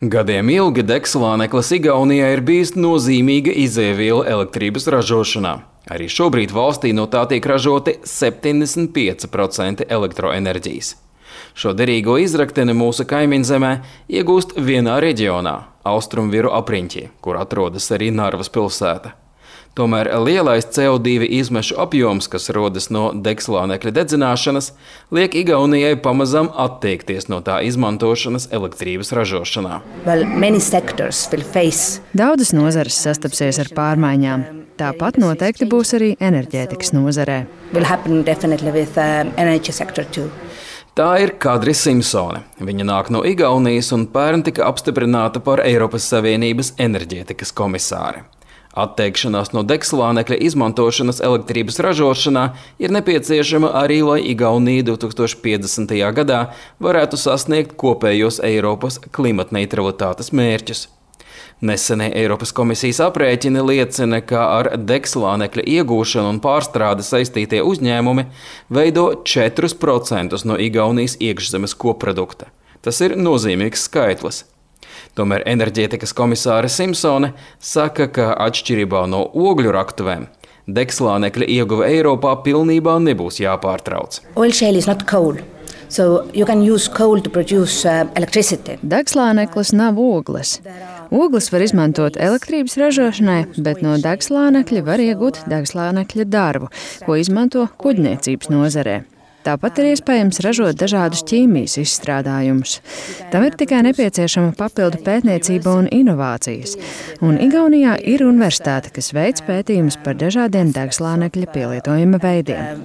Gadiem ilgi degslāneklis Igaunijā ir bijis nozīmīga izēviela elektrības ražošanā. Arī šobrīd valstī no tā tiek ražoti 75% elektroenerģijas. Šo derīgo izrakteni mūsu kaimiņzemē iegūst vienā reģionā – Austrumviru apriņķī, kur atrodas arī Narvas pilsēta. Tomēr lielais CO2 izmešu apjoms, kas rodas no degslānekļa dedzināšanas, liek Igaunijai pamazām atteikties no tā izmantošanas elektrības ražošanā. Daudzas nozares sastapsies ar pārmaiņām. Tāpat noteikti būs arī enerģētikas nozarē. Tā ir Kadri Simpsone. Viņa nāk no Igaunijas un pērn tika apstiprināta par Eiropas Savienības enerģētikas komisāri. Atteikšanās no degslānekļa izmantošanas elektrības ražošanā ir nepieciešama arī, lai Igaunija 2050. gadā varētu sasniegt kopējos Eiropas klimatneitralitātes mērķus. Nesenie Eiropas komisijas aprēķini liecina, ka ar degslānekļa iegūšanu un pārstrādi saistītie uzņēmumi veido 4% no Igaunijas iekšzemes koprodukta. Tas ir nozīmīgs skaitlis. Tomēr enerģētikas komisāre Simpsone saka, ka atšķirībā no ogļu raktuvēm, degslānekļa ieguve Eiropā pilnībā nebūs jāpārtrauc. Degslāneklis nav ogles. Ogles var izmantot elektrības ražošanai, bet no degslānekļa var iegūt degslānekļa darbu, ko izmanto kuģniecības nozarē. Tāpat ir iespējams ražot dažādus ķīmijas izstrādājumus. Tam ir tikai nepieciešama papildu pētniecība un inovācijas. Un Igaunijā ir universitāte, kas veic pētījumus par dažādiem degslānekļa pielietojuma veidiem.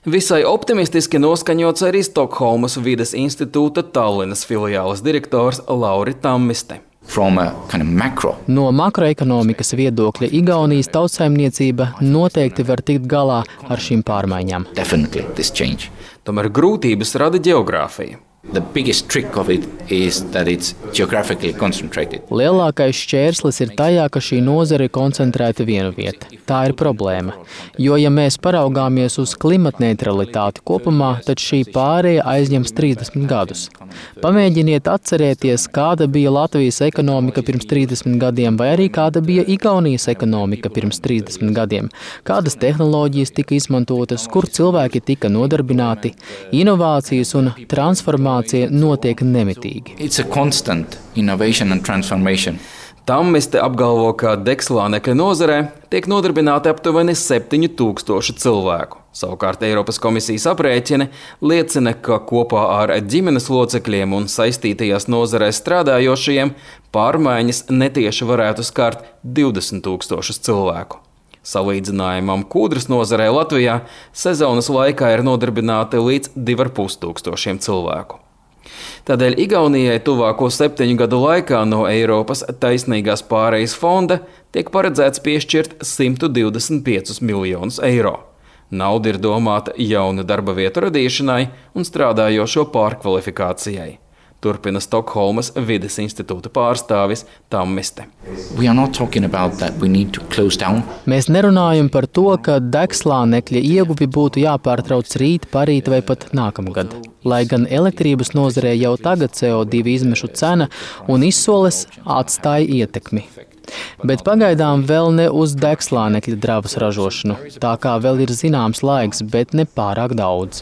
Visai optimistiski noskaņots arī Stokholmas vides institūta Tallinas filiāles direktors Lauri Tammiste. No makroekonomikas viedokļa Igaunijas tautsaimniecība noteikti var tikt galā ar šīm pārmaiņām. Tomēr grūtības rada ģeogrāfija. Lielākais šķērslis ir tajā, ka šī nozare ir koncentrēta vienu vietu. Tā ir problēma. Jo, ja mēs paraugāmies uz klimatneitralitāti kopumā, tad šī pārēja aizņems 30 gadus. Pamēģiniet atcerēties, kāda bija Latvijas ekonomika pirms 30 gadiem, vai arī kāda bija Igaunijas ekonomika pirms 30 gadiem. Kādas tehnoloģijas tika izmantotas, kur cilvēki tika nodarbināti, inovācijas un transformācijas notiek nemitīgi. Tammiste apgalvo, ka degslānekļa nozarē tiek nodarbināti aptuveni 7000 cilvēku. Savukārt Eiropas komisijas aprēķini liecina, ka kopā ar ģimenes locekļiem un saistītajās nozarēs strādājošajiem pārmaiņas netieši varētu skart 20 000 cilvēku. Salīdzinājumam kūdras nozarē Latvijā sezonas laikā ir nodarbināti līdz 2500 cilvēku. Tādēļ Igaunijai tuvāko 7 gadu laikā no Eiropas taisnīgās pārejas fonda tiek paredzēts piešķirt 125 miljonus eiro. Nauda ir domāta jaunu darba vietu radīšanai un strādājošo pārkvalifikācijai. Turpina Stokholmas vides institūta pārstāvis Tammiste. Mēs nerunājam par to, ka degslānekļa ieguvi būtu jāpārtrauc rīt, parīt vai pat nākamgad. Lai gan elektrības nozarē jau tagad CO2 izmešu cena un izsoles atstāja ietekmi. Bet pagaidām vēl ne uz degslānekļa dravas ražošanu, tā kā vēl ir zināms laiks, bet ne pārāk daudz.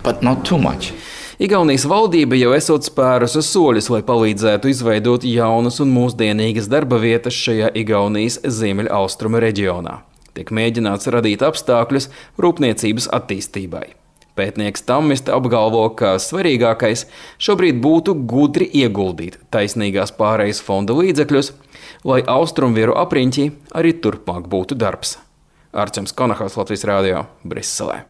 Igaunijas valdība jau esot spērusi soļus, lai palīdzētu izveidot jaunas un mūsdienīgas darba vietas šajā Igaunijas ziemeļaustrumu reģionā. Tiek mēģināts radīt apstākļus rūpniecības attīstībai. Pētnieks Tammiste apgalvo, ka svarīgākais šobrīd būtu gudri ieguldīt taisnīgās pārejas fonda līdzekļus, lai Austrumviru apriņķī arī turpmāk būtu darbs. Arčuns Konahaus, Latvijas Rādio, Briselē.